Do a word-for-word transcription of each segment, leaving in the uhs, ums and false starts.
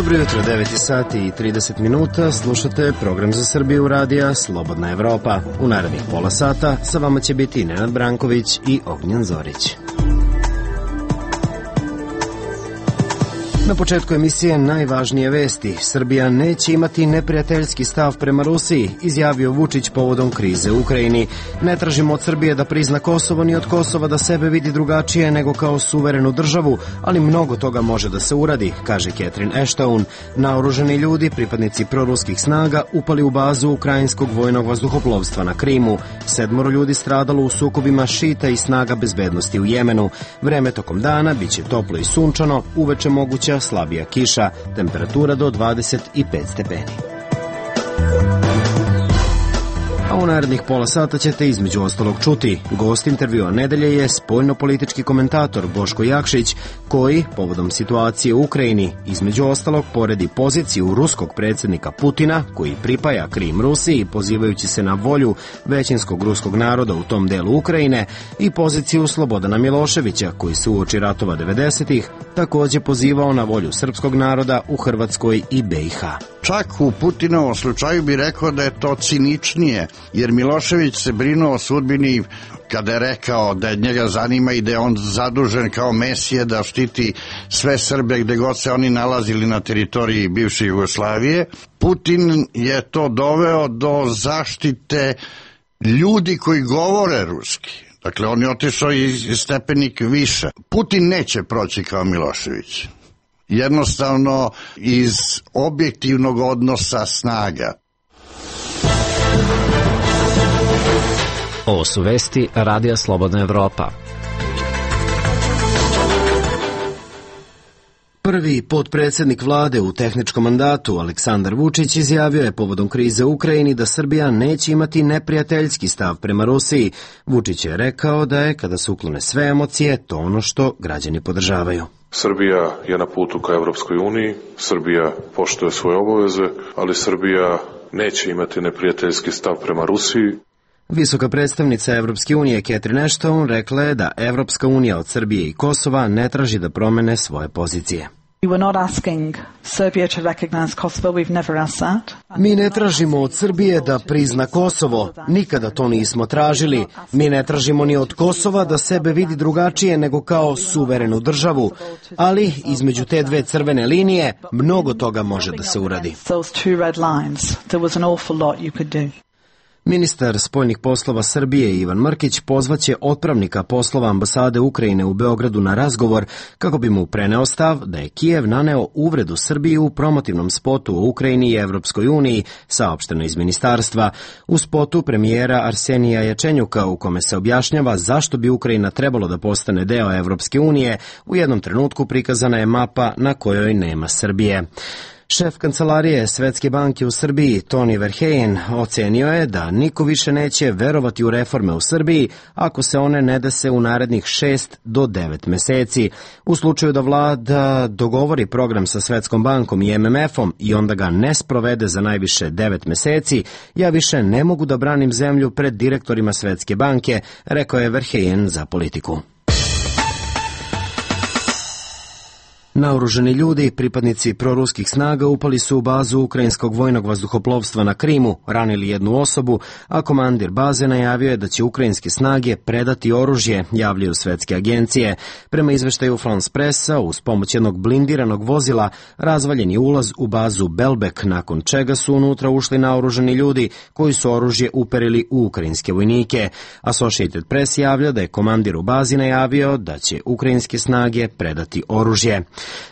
Dobro jutro, devet sati i trideset minuta, slušate program za Srbiju radija Slobodna Evropa. U narednih pola sata sa vama će biti Nenad Branković i Ognjen Zorić. Na početku emisije najvažnije vesti. Srbija neće imati neprijateljski stav prema Rusiji, izjavio Vučić povodom krize u Ukrajini. Ne tražimo od Srbije da prizna Kosovo ni od Kosova da sebe vidi drugačije nego kao suverenu državu, ali mnogo toga može da se uradi, kaže Catherine Ashton. Naoružani ljudi, pripadnici proruskih snaga, upali u bazu ukrajinskog vojnog vazduhoplovstva na Krimu. Sedmoro ljudi stradalo u sukobima šita i snaga bezbednosti u Jemenu. Vreme tokom dana biće toplo i sunčano, uveče moguća slabija kiša, temperatura do dvadeset pet stepeni. A u narednih pola sata ćete između ostalog čuti. Gost intervjua nedelje je spoljno-politički komentator Boško Jakšić, koji, povodom situacije u Ukrajini, između ostalog poredi poziciju ruskog predsjednika Putina, koji pripaja Krim Rusiji, pozivajući se na volju većinskog ruskog naroda u tom delu Ukrajine, i poziciju Slobodana Miloševića, koji se uoči ratova devedesetih također pozivao na volju srpskog naroda u Hrvatskoj i be i ha. Čak u Putinovom slučaju bi rekao da je to ciničnije, jer Milošević se brinuo o sudbini kada je rekao da njega zanima i da je on zadužen kao mesije da štiti sve Srbe gde god se oni nalazili na teritoriji bivše Jugoslavije. Putin je to doveo do zaštite ljudi koji govore ruski. Dakle, on je otišao i stepenik više. Putin neće proći kao Milošević. Jednostavno iz objektivnog odnosa snaga. Ovo su vesti Radija Slobodna Evropa. Prvi potpredsjednik vlade u tehničkom mandatu, Aleksandar Vučić, izjavio je povodom krize u Ukrajini da Srbija neće imati neprijateljski stav prema Rusiji. Vučić je rekao da je, kada se uklone sve emocije, to ono što građani podržavaju. Srbija je na putu ka Evropskoj uniji, Srbija poštuje svoje obaveze, ali Srbija neće imati neprijateljski stav prema Rusiji. Visoka predstavnica Evropske unije Catherine Ashton rekla je da Evropska unija od Srbije i Kosova ne traži da promene svoje pozicije. Mi ne tražimo od Srbije da prizna Kosovo, nikada to nismo tražili. Mi ne tražimo ni od Kosova da sebe vidi drugačije nego kao suverenu državu, ali između te dve crvene linije mnogo toga može da se uradi. Ministar spoljnih poslova Srbije Ivan Mrkić pozvaće otpravnika poslova ambasade Ukrajine u Beogradu na razgovor kako bi mu preneo stav da je Kijev naneo uvredu Srbiji u promotivnom spotu o Ukrajini i Evropskoj uniji, saopšteno iz ministarstva. U spotu premijera Arsenija Jačenjuka, u kome se objašnjava zašto bi Ukrajina trebalo da postane deo Evropske unije, u jednom trenutku prikazana je mapa na kojoj nema Srbije. Šef kancelarije Svetske banke u Srbiji, Toni Verheyen, ocenio je da niko više neće verovati u reforme u Srbiji ako se one ne dese u narednih šest do devet meseci. U slučaju da vlada dogovori program sa Svetskom bankom i em em efom i onda ga ne sprovede za najviše devet meseci, ja više ne mogu da branim zemlju pred direktorima Svetske banke, rekao je Verheyen za Politiku. Naoružani ljudi, pripadnici proruskih snaga, upali su u bazu ukrajinskog vojnog vazduhoplovstva na Krimu, ranili jednu osobu, a komandir baze najavio je da će ukrajinske snage predati oružje, javljaju svetske agencije. Prema izveštaju France Pressa, uz pomoć jednog blindiranog vozila, razvaljen je ulaz u bazu Belbek, nakon čega su unutra ušli naoružani ljudi koji su oružje uperili u ukrajinske vojnike. Associated Press javlja da je komandir u bazi najavio da će ukrajinske snage predati oružje.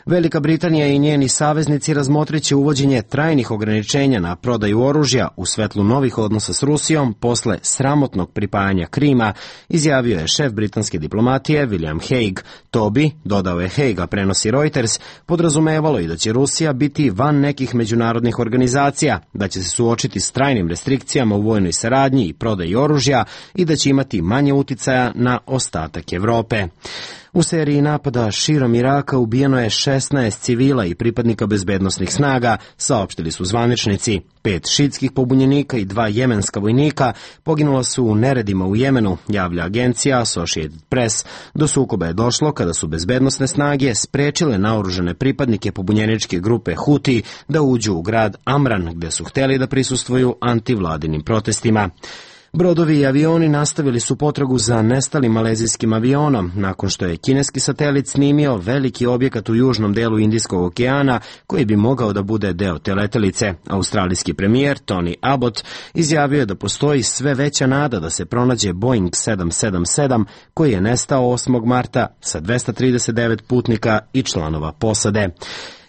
Velika Britanija i njeni saveznici razmotriće uvođenje trajnih ograničenja na prodaju oružja u svetlu novih odnosa s Rusijom posle sramotnog pripajanja Krima, izjavio je šef britanske diplomatije William Hague. To bi, dodao je Hague, a prenosi Reuters, podrazumevalo i da će Rusija biti van nekih međunarodnih organizacija, da će se suočiti s trajnim restrikcijama u vojnoj saradnji i prodaji oružja i da će imati manje uticaja na ostatak Evrope. U seriji napada širom Iraka ubijeno je šesnaest civila i pripadnika bezbednosnih snaga, saopštili su zvaničnici. Pet šiitskih pobunjenika i dva jemenska vojnika poginula su u neredima u Jemenu, javlja agencija Associated Press. Do sukoba je došlo kada su bezbednosne snage sprečile naoružane pripadnike pobunjeničke grupe Huti da uđu u grad Amran, gde su hteli da prisustvuju antivladinim protestima. Brodovi i avioni nastavili su potragu za nestalim malezijskim avionom, nakon što je kineski satelit snimio veliki objekat u južnom delu Indijskog okeana koji bi mogao da bude deo te letelice. Australijski premijer Tony Abbott izjavio je da postoji sve veća nada da se pronađe Boeing sedam sedam sedam koji je nestao osmog marta sa dvesta trideset devet putnika i članova posade.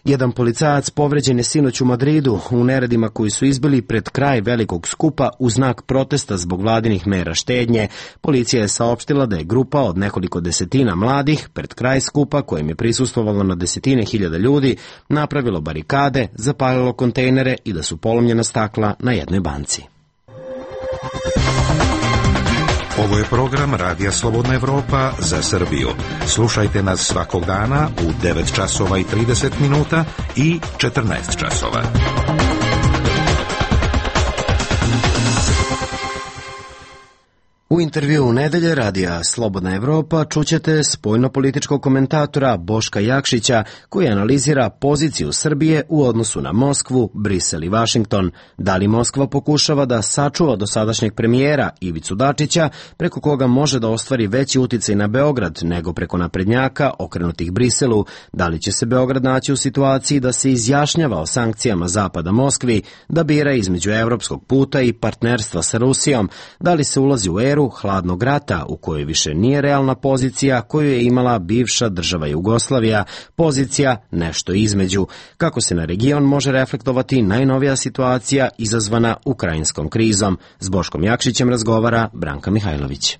Jedan policajac povređen je sinoć u Madridu u neredima koji su izbili pred kraj velikog skupa u znak protesta zbog vladinih mera štednje. Policija je saopštila da je grupa od nekoliko desetina mladih pred kraj skupa, kojem je prisustvovalo na desetine hiljada ljudi, napravilo barikade, zapalilo kontejnere i da su polomljena stakla na jednoj banci. Ovo je program Radija Slobodna Evropa za Srbiju. Slušajte nas svakog dana u devet časova i trideset minuta i četrnaest časova. U intervju nedelje Radija Slobodna Evropa čućete spoljnopolitičkog komentatora Boška Jakšića koji analizira poziciju Srbije u odnosu na Moskvu, Brisel i Vašington. Da li Moskva pokušava da sačuva dosadašnjeg premijera Ivicu Dačića, preko koga može da ostvari veći uticaj na Beograd nego preko naprednjaka okrenutih Briselu? Da li će se Beograd naći u situaciji da se izjašnjava o sankcijama Zapada Moskvi, da bira između evropskog puta i partnerstva sa Rusijom? Da li se ulazi u eru hladnog rata u kojoj više nije realna pozicija koju je imala bivša država Jugoslavija, pozicija nešto između? Kako se na region može reflektovati najnovija situacija izazvana ukrajinskom krizom? S Boškom Jakšićem razgovara Branka Mihajlović.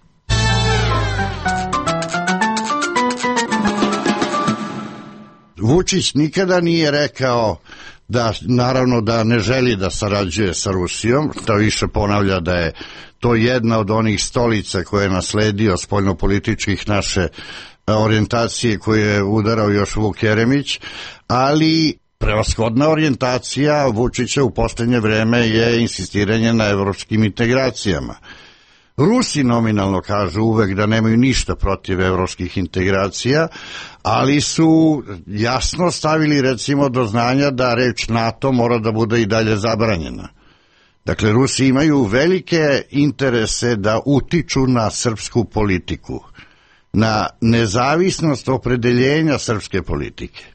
Vučić nikada nije rekao da, naravno, da ne želi da sarađuje sa Rusijom, to više ponavlja da je to jedna od onih stolica koje je nasledio spoljnopolitičkih naše orijentacije koje je udarao još Vuk Jeremić, ali prevashodna orijentacija Vučića u poslednje vreme je insistiranje na evropskim integracijama. Rusi nominalno kažu uvek da nemaju ništa protiv evropskih integracija, ali su jasno stavili recimo do znanja da reč NATO mora da bude i dalje zabranjena. Dakle, Rusi imaju velike interese da utiču na srpsku politiku, na nezavisnost opredeljenja srpske politike.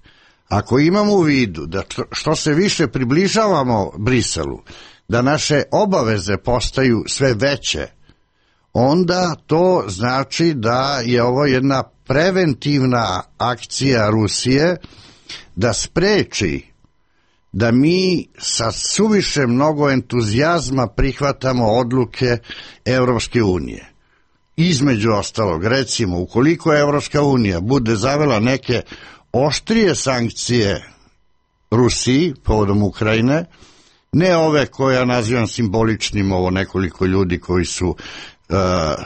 Ako imamo u vidu da što se više približavamo Briselu, da naše obaveze postaju sve veće, onda to znači da je ovo jedna preventivna akcija Rusije da spreči da mi sa suviše mnogo entuzijazma prihvatamo odluke Evropske unije. Između ostalog, recimo, ukoliko Evropska unija bude zavela neke oštrije sankcije Rusiji povodom Ukrajine, ne ove koje ja nazivam simboličnim, ovo nekoliko ljudi koji su Uh,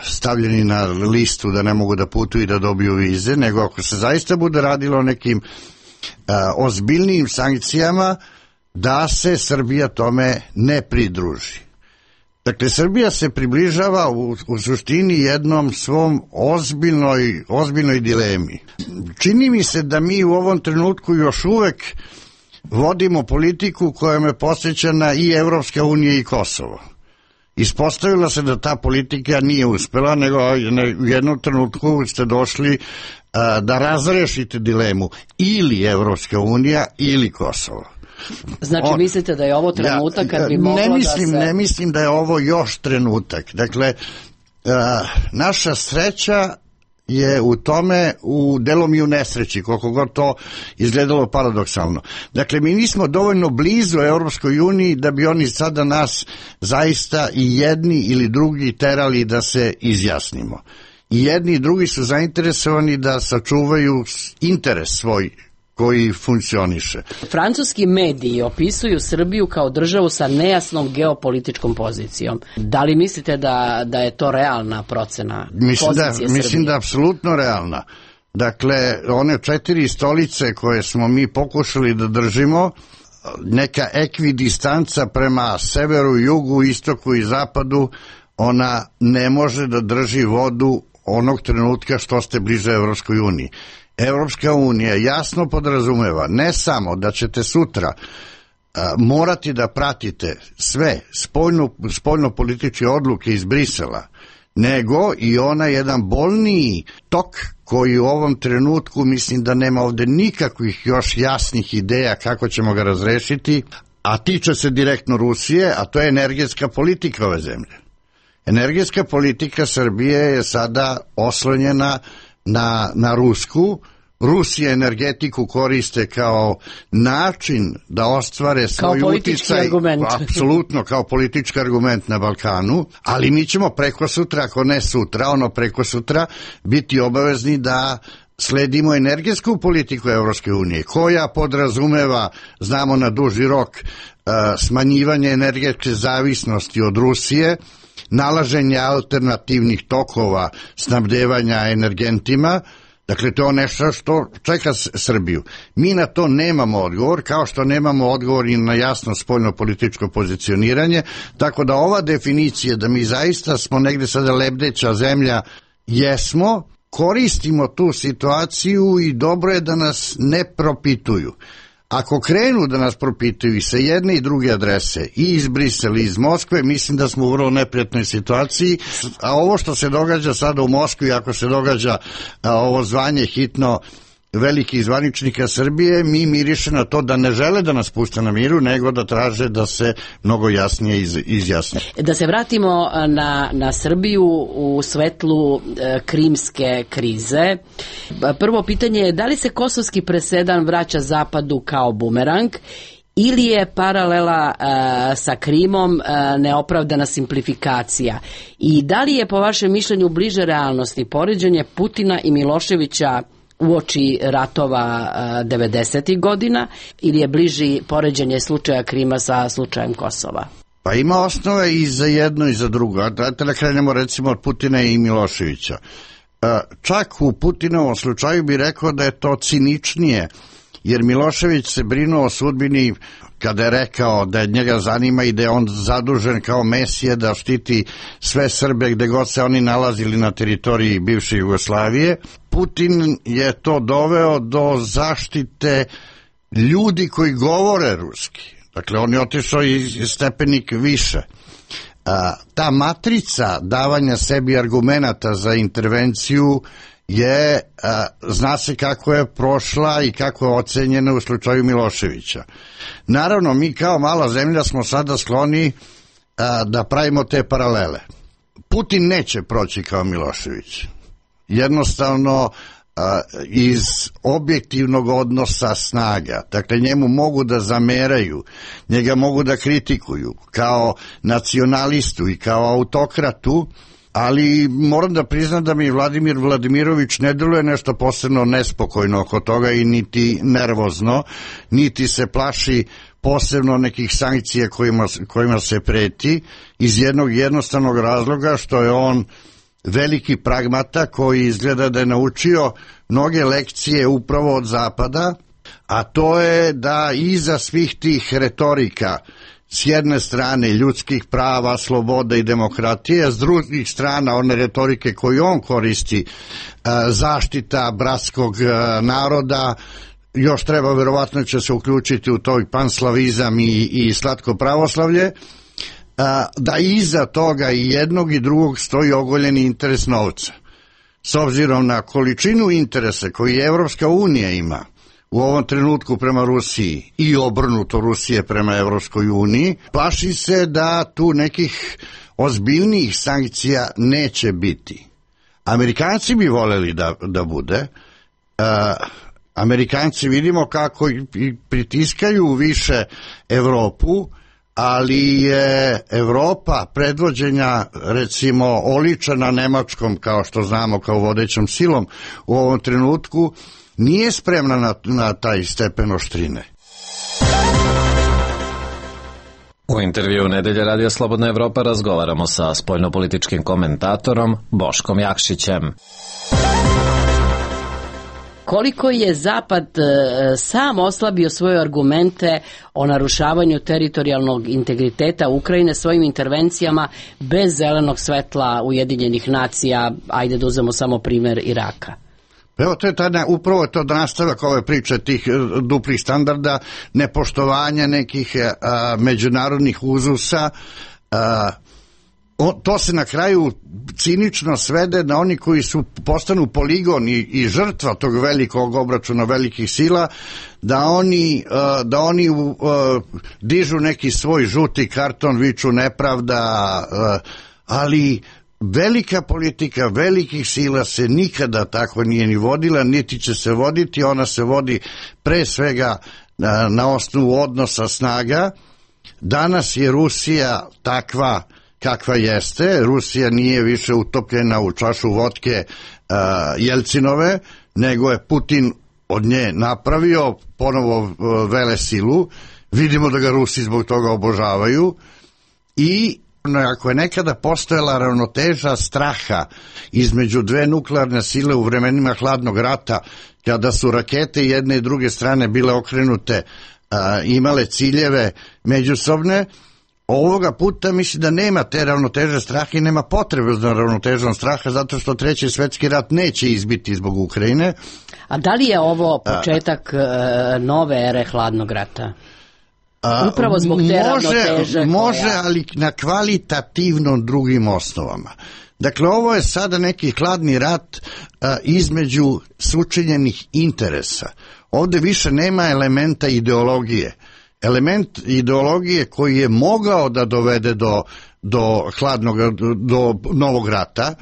stavljeni na listu da ne mogu da putuju i da dobiju vize, nego ako se zaista bude radilo o nekim uh, ozbiljnijim sankcijama, da se Srbija tome ne pridruži. Dakle, Srbija se približava u, u suštini jednom svom ozbiljnoj, ozbiljnoj dilemi. Čini mi se da mi u ovom trenutku još uvek vodimo politiku koja me podsjeća na i Evropska unija i Kosovo. Ispostavilo se da ta politika nije uspela, nego u jednom trenutku ste došli a, da razrešite dilemu ili Evropska unija ili Kosovo. Znači, On, mislite da je ovo trenutak kad bi moglo ne mislim, da se... Ne mislim da je ovo još trenutak. Dakle, a, naša sreća je u tome, u delom i u nesreći, koliko god to izgledalo paradoksalno. Dakle, mi nismo dovoljno blizu Evropskoj uniji da bi oni sada nas zaista i jedni ili drugi terali da se izjasnimo. I jedni i drugi su zainteresovani da sačuvaju interes svoj koji funkcioniše. Francuski mediji opisuju Srbiju kao državu sa nejasnom geopolitičkom pozicijom. Da li mislite da, da je to realna procena mislim pozicije da, Srbije? Mislim da je apsolutno realna. Dakle, one četiri stolice koje smo mi pokušali da držimo, neka ekvidistanca prema severu, jugu, istoku i zapadu, ona ne može da drži vodu onog trenutka što ste bliže Evropskoj uniji. Evropska unija jasno podrazumeva ne samo da ćete sutra a, morati da pratite sve spoljno, spoljno-političke odluke iz Brisela, nego i ona jedan bolniji tok koji u ovom trenutku mislim da nema ovde nikakvih još jasnih ideja kako ćemo ga razrešiti, a tiče se direktno Rusije, a to je energetska politika ove zemlje. Energetska politika Srbije je sada oslonjena na, na Rusku. Rusija energetiku koriste kao način da ostvare svoj uticaj, apsolutno kao politički argument na Balkanu, ali mi ćemo preko sutra, ako ne sutra, ono preko sutra, biti obavezni da sledimo energetsku politiku Evropske unije, koja podrazumeva, znamo na duži rok, smanjivanje energetske zavisnosti od Rusije, nalaženje alternativnih tokova snabdevanja energentima. Dakle, to je nešto što čeka Srbiju. Mi na to nemamo odgovor, kao što nemamo odgovor i na jasno spoljno-političko pozicioniranje, tako da ova definicija da mi zaista smo negde sada lebdeća zemlja, jesmo, koristimo tu situaciju i dobro je da nas ne propituju. Ako krenu da nas propituju i sa jedne i druge adrese, i iz Brisela i iz Moskve, mislim da smo u vrlo neprijatnoj situaciji, a ovo što se događa sada u Moskvi, ako se događa a, ovo zvanje hitno velikih zvaničnika Srbije, mi miriše na to da ne žele da nas puste na miru, nego da traže da se mnogo jasnije iz, izjasne. Da se vratimo na, na Srbiju u svetlu e, krimske krize. Prvo pitanje je da li se kosovski presedan vraća Zapadu kao bumerang ili je paralela e, sa Krimom e, neopravdana simplifikacija? I da li je po vašem mišljenju bliže realnosti poređenje Putina i Miloševića uoči ratova devedesetih godina ili je bliži poređenje slučaja Krima sa slučajem Kosova? Pa ima osnove i za jedno i za drugo. Dajte da krenemo recimo od Putina i Miloševića. Čak u Putinovom slučaju bi rekao da je to ciničnije, jer Milošević se brinuo o sudbini kada je rekao da njega zanima i da je on zadužen kao mesije da štiti sve Srbe gde god se oni nalazili na teritoriji bivše Jugoslavije. Putin je to doveo do zaštite ljudi koji govore ruski. Dakle, on je otišao i stepenik više. A, ta matrica davanja sebi argumenata za intervenciju je, a, zna se kako je prošla i kako je ocenjena u slučaju Miloševića. Naravno, mi kao mala zemlja smo sada skloni a, da pravimo te paralele. Putin neće proći kao Milošević. Jednostavno a, iz objektivnog odnosa snaga. Dakle, njemu mogu da zameraju, njega mogu da kritikuju kao nacionalistu i kao autokratu, ali moram da priznam da mi Vladimir Vladimirović ne deluje nešto posebno nespokojno oko toga i niti nervozno, niti se plaši posebno nekih sankcija kojima, kojima se preti, iz jednog jednostavnog razloga što je on veliki pragmata koji izgleda da je naučio mnoge lekcije upravo od Zapada, a to je da iza svih tih retorika, s jedne strane ljudskih prava, sloboda i demokratije, a s drugih strana one retorike koje on koristi, zaštita bratskog naroda, još treba, verovatno će se uključiti u toj panslavizam i, i slatko pravoslavlje, da iza toga i jednog i drugog stoji ogoljeni interes novca. S obzirom na količinu interesa koji Evropska unija ima u ovom trenutku prema Rusiji i obrnuto Rusije prema Evropskoj uniji, plaši se da tu nekih ozbiljnijih sankcija neće biti. Amerikanci bi voleli da, da bude. Uh, Amerikanci vidimo kako i pritiskaju više Evropu, ali je Evropa predvođenja, recimo, oličena Nemačkom, kao što znamo, kao vodećom silom u ovom trenutku, nije spremna na, na taj stepen oštrine. U intervju Nedelje Radija Slobodna Evropa razgovaramo sa spoljnopolitičkim komentatorom Boškom Jakšićem. koliko je Zapad sam oslabio svoje argumente o narušavanju teritorijalnog integriteta Ukrajine svojim intervencijama bez zelenog svetla Ujedinjenih nacija, ajde da uzmemo samo primer Iraka. Evo, to je tada, upravo to nastavak ove priče tih duplih standarda, nepoštovanja nekih a, međunarodnih uzusa. A, o, to se na kraju cinično svede na oni koji su postanu poligon i, i žrtva tog velikog obračuna velikih sila, da oni, a, da oni a, dižu neki svoj žuti karton, viču nepravda, a, ali velika politika velikih sila se nikada tako nije ni vodila, niti će se voditi. Ona se vodi pre svega na, na osnovu odnosa snaga. Danas je Rusija takva kakva jeste. Rusija nije više utopljena u čašu vodke uh, Jelcinove, nego je Putin od nje napravio ponovo uh, velesilu. Vidimo da ga Rusi zbog toga obožavaju i ako je nekada postojala ravnoteža straha između dve nuklearne sile u vremenima hladnog rata, kada su rakete jedne i druge strane bile okrenute, a, imale ciljeve međusobne, ovoga puta mislim da nema te ravnoteže straha i nema potrebe za ravnotežom straha, zato što treći svetski rat neće izbiti zbog Ukrajine. A da li je ovo početak a, nove ere hladnog rata? Upravo zbog te ravnoteže. Može, koja... ali na kvalitativno drugim osnovama. Dakle, ovo je sada neki hladni rat a, između sučinjenih interesa. Ovde više nema elementa ideologije. Element ideologije koji je mogao da dovede do, do hladnog, do, do novog rata,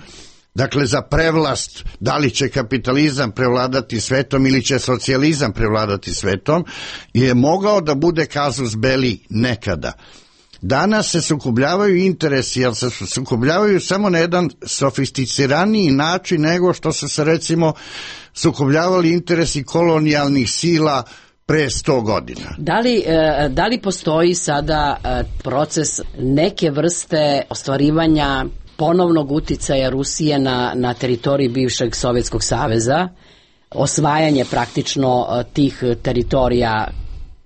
dakle za prevlast, da li će kapitalizam prevladati svetom ili će socijalizam prevladati svetom, je mogao da bude casus belli nekada. Danas se sukobljavaju interesi, ali se sukobljavaju samo na jedan sofisticiraniji način nego što su se recimo sukobljavali interesi kolonijalnih sila pre sto godina. Da li, da li postoji sada proces neke vrste ostvarivanja ponovnog uticaja Rusije na, na teritoriji bivšeg Sovjetskog saveza, osvajanje praktično tih teritorija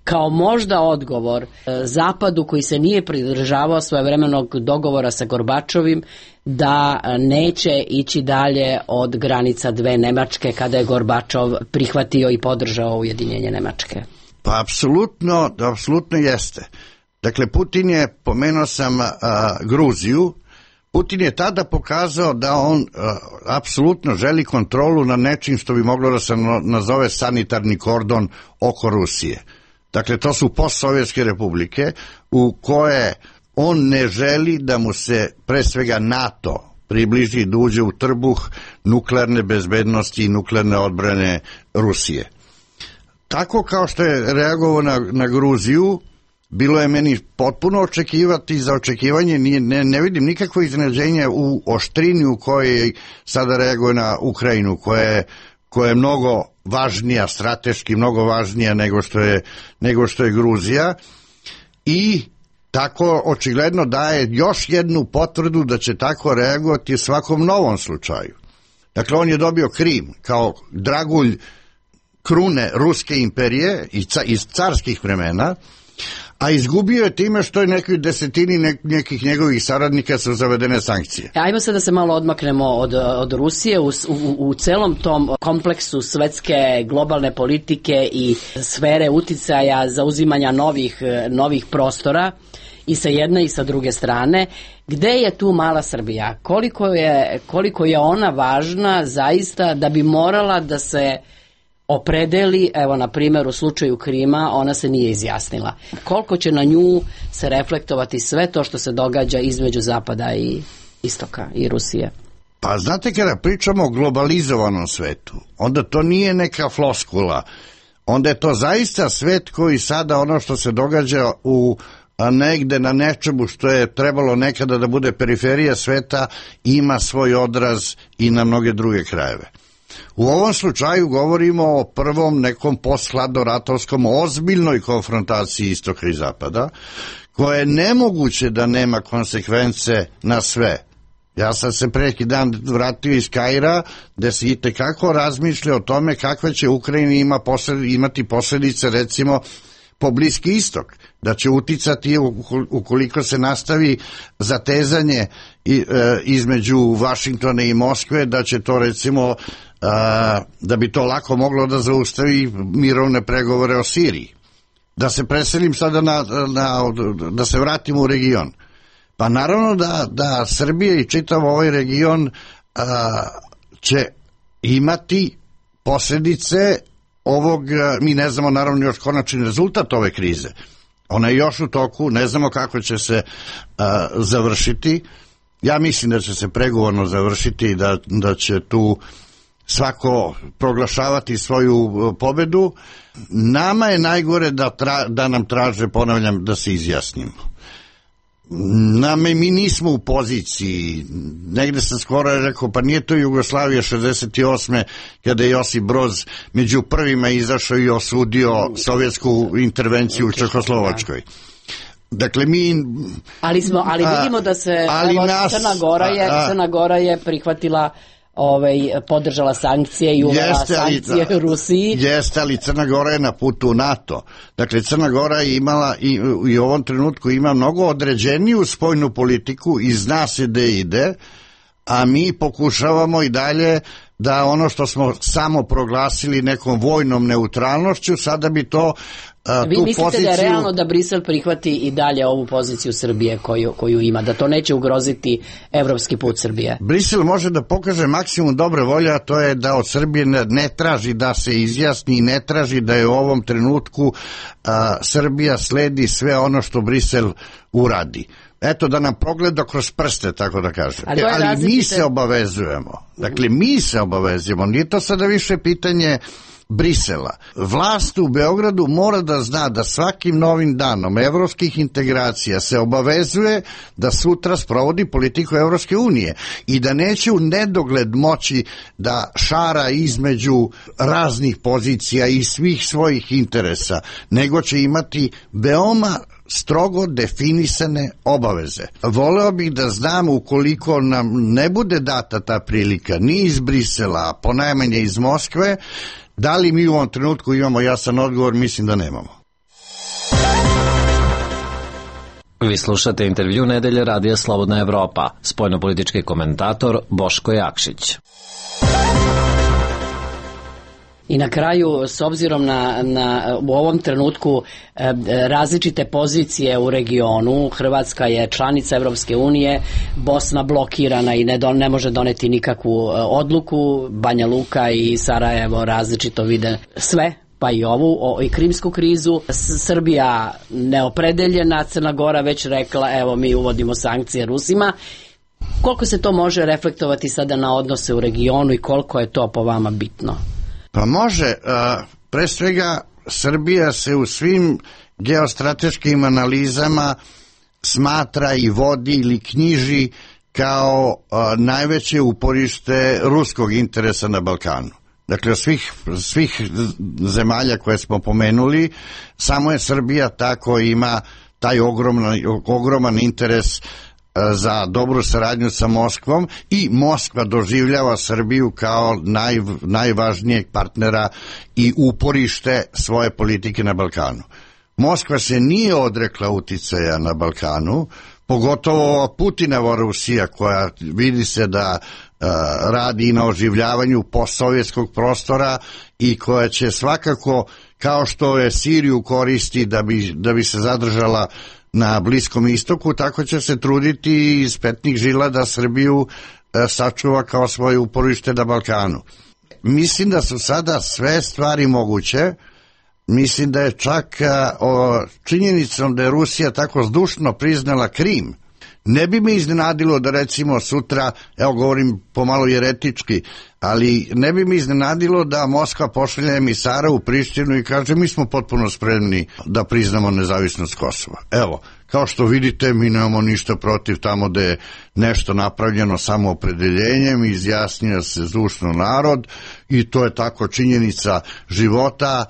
kao možda odgovor Zapadu koji se nije pridržavao svojevremenog dogovora sa Gorbačovim da neće ići dalje od granica dve Nemačke kada je Gorbačov prihvatio i podržao ujedinjenje Nemačke? Pa apsolutno, apsolutno jeste. Dakle, Putin je, pomenuo sam a, Gruziju, Putin je tada pokazao da on uh, apsolutno želi kontrolu na nečim što bi moglo da se nazove sanitarni kordon oko Rusije. Dakle, to su postsovjetske republike u koje on ne želi da mu se pre svega NATO približi da uđe u trbuh nuklearne bezbednosti i nuklearne odbrane Rusije. Tako kao što je reagovao na, na Gruziju, bilo je meni potpuno očekivati, za očekivanje nije, ne, ne vidim nikakvo iznenađenje u oštrini u kojoj sada reaguje na Ukrajinu, koja je, koja je mnogo važnija, strateški mnogo važnija nego što je, nego što je Gruzija, i tako očigledno daje još jednu potvrdu da će tako reagovati u svakom novom slučaju. Dakle, on je dobio Krim kao dragulj krune Ruske imperije iz carskih vremena, a izgubio je time što je nekoj desetini nekih njegovih saradnika su zavedene sankcije. Ajmo sad da se malo odmaknemo od, od Rusije. U, u, u celom tom kompleksu svetske globalne politike i sfere uticaja zauzimanja novih, novih prostora i sa jedne i sa druge strane, gde je tu mala Srbija? Koliko je, koliko je ona važna zaista da bi morala da se opredeli, evo na primjer u slučaju Krima ona se nije izjasnila. Koliko će na nju se reflektovati sve to što se događa između Zapada i Istoka i Rusije? Pa znate, kada pričamo o globalizovanom svetu, onda to nije neka floskula, onda je to zaista svet koji sada ono što se događa u a negde na nečemu što je trebalo nekada da bude periferija sveta ima svoj odraz i na mnoge druge krajeve. U ovom slučaju govorimo o prvom nekom posthladnoratovskom ozbiljnoj konfrontaciji Istoka i Zapada, koja je nemoguće da nema konsekvence na sve. Ja sam se preki dan vratio iz Kaira, gde se itekako razmišlja o tome kakve će Ukrajina ima posled, imati posljedice, recimo, po Bliski istok, da će uticati ukoliko se nastavi zatezanje između Vašingtona i Moskve, da će to, recimo, da bi to lako moglo da zaustavi mirovne pregovore o Siriji. Da se preselim sada na, na, da se vratim u region. Pa naravno da, da Srbija i čitav ovaj region a, će imati posljedice ovog, mi ne znamo naravno još konačni rezultat ove krize. Ona je još u toku, ne znamo kako će se a, završiti. Ja mislim da će se pregovorno završiti i da, da će tu svako proglašavati svoju pobedu. Nama je najgore da, tra, da nam traže, ponavljam, da se izjasnimo. Nama, mi nismo u poziciji, negde sam skoro rekao, pa nije to Jugoslavija šezdeset osme kada je Josip Broz među prvima izašao i osudio sovjetsku intervenciju u Čehoslovačkoj. Dakle, mi... Ali, smo, ali vidimo da se evo, nas, Crna, Gora je, a, Crna Gora je prihvatila, ovaj, podržala sankcije i uvela sankcije ali, Rusiji. Jeste, ali Crna Gora je na putu u NATO. Dakle, Crna Gora je imala i, i u ovom trenutku ima mnogo određeniju spoljnu politiku i zna se gde ide, a mi pokušavamo i dalje da ono što smo samo proglasili nekom vojnom neutralnošću, sada bi to a, Vi tu mislite poziciju... da je realno da Brisel prihvati i dalje ovu poziciju Srbije koju, koju ima, da to neće ugroziti evropski put Srbije? Brisel može da pokaže maksimum dobre volje, a to je da od Srbije ne, ne traži da se izjasni i ne traži da je u ovom trenutku a, Srbija sledi sve ono što Brisel uradi. Eto, da nam progleda kroz prste, tako da kažem. Ali, Ali različite... mi se obavezujemo. Dakle, mi se obavezujemo. Nije to sada više pitanje Brisela. Vlast u Beogradu mora da zna da svakim novim danom evropskih integracija se obavezuje da sutra sprovodi politiku Evropske unije i da neće u nedogled moći da šara između raznih pozicija i svih svojih interesa, nego će imati veoma strogo definisane obaveze. Voleo bih da znam, ukoliko nam ne bude data ta prilika ni iz Brisela, a ponajmanje iz Moskve, da li mi u ovom trenutku imamo jasan odgovor? Mislim da nemamo. Vi slušate intervju Nedelje Radija Slobodna Evropa, spoljnopolitički komentator Boško Jakšić. I na kraju, s obzirom na, na u ovom trenutku e, različite pozicije u regionu, Hrvatska je članica Evropske unije, Bosna blokirana i ne, don, ne može doneti nikakvu e, odluku, Banja Luka i Sarajevo različito vide sve, pa i ovu, o, i krimsku krizu, S, Srbija neopredeljena, Crna Gora već rekla, evo mi uvodimo sankcije Rusima. Koliko se to može reflektovati sada na odnose u regionu i koliko je to po vama bitno? Pa može, pre svega Srbija se u svim geostrateškim analizama smatra i vodi ili knjiži kao najveće uporište ruskog interesa na Balkanu. Dakle, od svih, svih zemalja koje smo pomenuli, samo je Srbija tako ima taj ogroman, ogroman interes za dobru saradnju sa Moskvom i Moskva doživljava Srbiju kao naj, najvažnijeg partnera i uporište svoje politike na Balkanu. Moskva se nije odrekla uticaja na Balkanu, pogotovo Putinova Rusija koja vidi se da uh, radi na oživljavanju postsovjetskog prostora i koja će svakako, kao što je Siriju koristi da bi, da bi se zadržala na Bliskom istoku, tako će se truditi iz petnih žila da Srbiju e, sačuva kao svoje uporište na Balkanu. Mislim da su sada sve stvari moguće. Mislim da je čak a, o, činjenicom da je Rusija tako zdušno priznala Krim, ne bi me iznenadilo da recimo sutra, evo govorim pomalo jeretički, ali ne bi me iznenadilo da Moskva pošalje emisara u Prištinu i kaže mi smo potpuno spremni da priznamo nezavisnost Kosova. Evo, kao što vidite, mi nemamo ništa protiv tamo da je nešto napravljeno samoopredeljenjem, izjasnio se zdušno narod i to je tako činjenica života.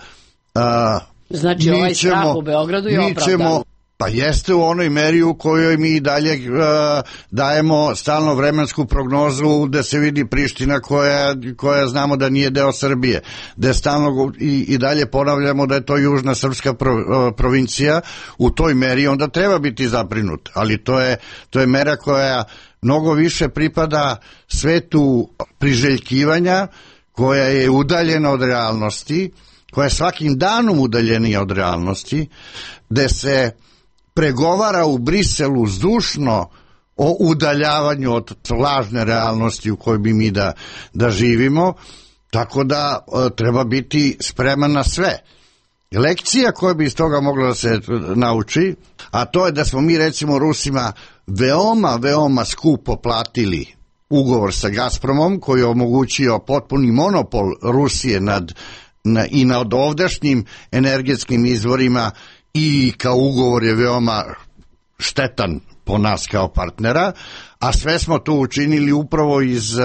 A, znači ovaj ćemo, strah u Beogradu je opravdan. Ćemo, Pa jeste u onoj meri u kojoj mi dalje uh, dajemo stalno vremensku prognozu gde se vidi Priština koja, koja znamo da nije deo Srbije, gde stalno i, i dalje ponavljamo da je to južna srpska pro, uh, provincija. U toj meri onda treba biti zabrinut, ali to je, to je mera koja mnogo više pripada svetu priželjkivanja, koja je udaljena od realnosti, koja je svakim danom udaljenija od realnosti, gde se pregovara u Briselu zdušno o udaljavanju od lažne realnosti u kojoj bi mi da, da živimo, tako da e, treba biti spreman na sve. Lekcija koja bi iz toga mogla da se nauči, a to je da smo mi recimo Rusima veoma, veoma skupo platili ugovor sa Gazpromom koji je omogućio potpuni monopol Rusije nad, na, i nad ovdašnjim energetskim izvorima, i kao ugovor je veoma štetan po nas kao partnera, a sve smo to učinili upravo iz uh,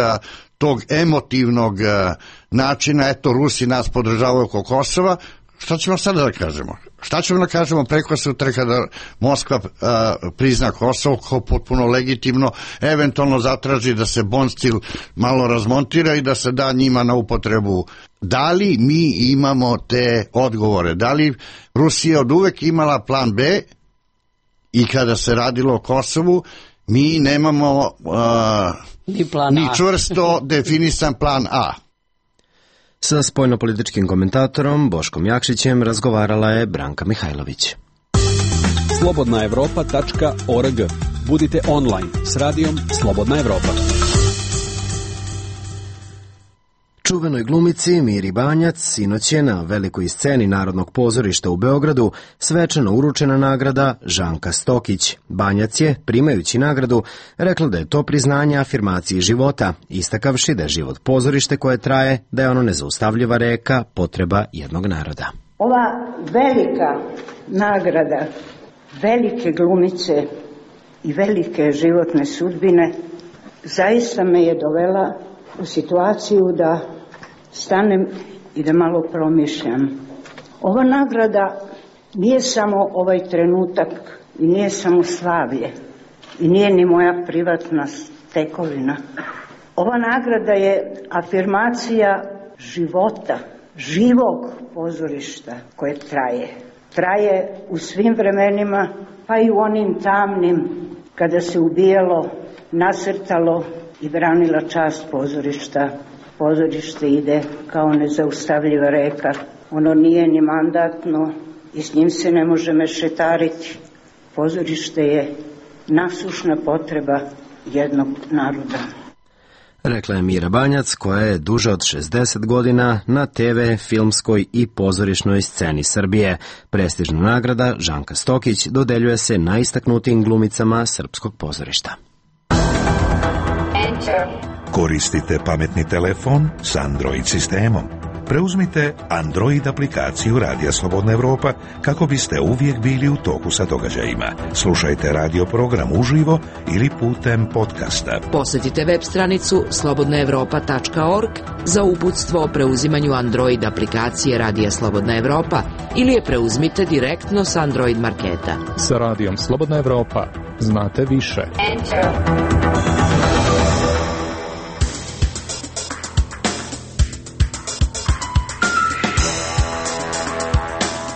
tog emotivnog uh, načina, eto Rusi nas podržavaju oko Kosova. Šta ćemo sada da kažemo? Šta ćemo da kažemo preko sutra kada Moskva uh, prizna Kosovo kao potpuno legitimno, eventualno zatraži da se Bonstil malo razmontira i da se da njima na upotrebu. Da li mi imamo te odgovore? Da li Rusija od uvek imala plan B i kada se radilo o Kosovu, mi nemamo uh, ni, plan ni čvrsto definisan plan A? Sa spoljnopolitičkim komentatorom Boškom Jakšićem razgovarala je Branka Mihajlović. slobodna evropa tačka org. Budite online s radijom Slobodna Evropa. Čuvenoj glumici Miri Banjac sinoć je na velikoj sceni Narodnog pozorišta u Beogradu svečano uručena nagrada Žanka Stokić. Banjac je, primajući nagradu, rekla da je to priznanje afirmaciji života, istakavši da je život pozorište koje traje, da je ono nezaustavljiva reka, potreba jednog naroda. Ova velika nagrada velike glumice i velike životne sudbine zaista me je dovela u situaciju da stanem i da malo promišljam. Ova nagrada nije samo ovaj trenutak i nije samo slavlje i nije ni moja privatna tekovina. Ova nagrada je afirmacija života, živog pozorišta koje traje. Traje u svim vremenima, pa i u onim tamnim kada se ubijalo, nasrtalo i branila čast pozorišta. Pozorište ide kao nezaustavljiva reka. Ono nije ni mandatno i s njim se ne može mešetariti. Pozorište je nasušna potreba jednog naroda. Rekla je Mira Banjac, koja je duže od šezdeset godina na te ve, filmskoj i pozorišnoj sceni Srbije. Prestižna nagrada Žanka Stokić dodeljuje se najistaknutijim glumicama srpskog pozorišta. Koristite pametni telefon s Android sistemom. Preuzmite Android aplikaciju Radija Slobodna Evropa kako biste uvijek bili u toku sa događajima. Slušajte radio program uživo ili putem podcasta. Posjetite web stranicu slobodna evropa tačka org za uputstvo o preuzimanju Android aplikacije Radija Slobodna Evropa ili je preuzmite direktno s Android marketa. Sa Radijom Slobodna Evropa znate više. Enter.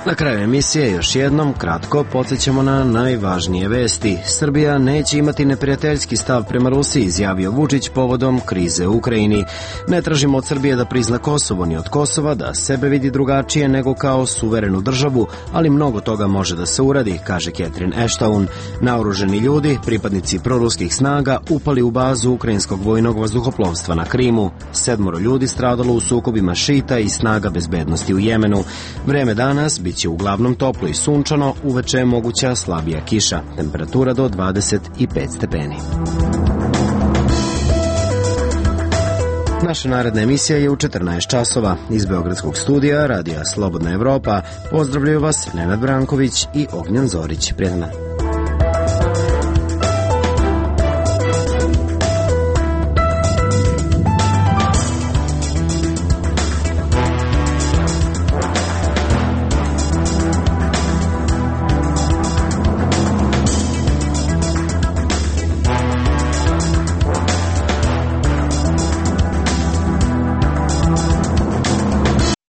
Na kraju emisije još jednom kratko podsjećamo na najvažnije vesti. Srbija neće imati neprijateljski stav prema Rusiji, izjavio Vučić povodom krize u Ukrajini. Ne tražimo od Srbije da prizna Kosovo ni od Kosova, da sebe vidi drugačije nego kao suverenu državu, ali mnogo toga može da se uradi, kaže Catherine Ashton. Naoruženi ljudi, pripadnici proruskih snaga, upali u bazu ukrajinskog vojnog vazduhoplovstva na Krimu. Sedmoro ljudi stradalo u sukobima šita i snaga bezbednosti u Jemenu. Vreme danas bit će uglavnom toplo i sunčano, uveče je moguća slabija kiša. Temperatura do dvadeset pet stepeni. Naša naredna emisija je u četrnaest časova. Iz Beogradskog studija Radija Slobodna Evropa pozdravljaju vas Nenad Branković i Ognjan Zorić. Prijetan dan.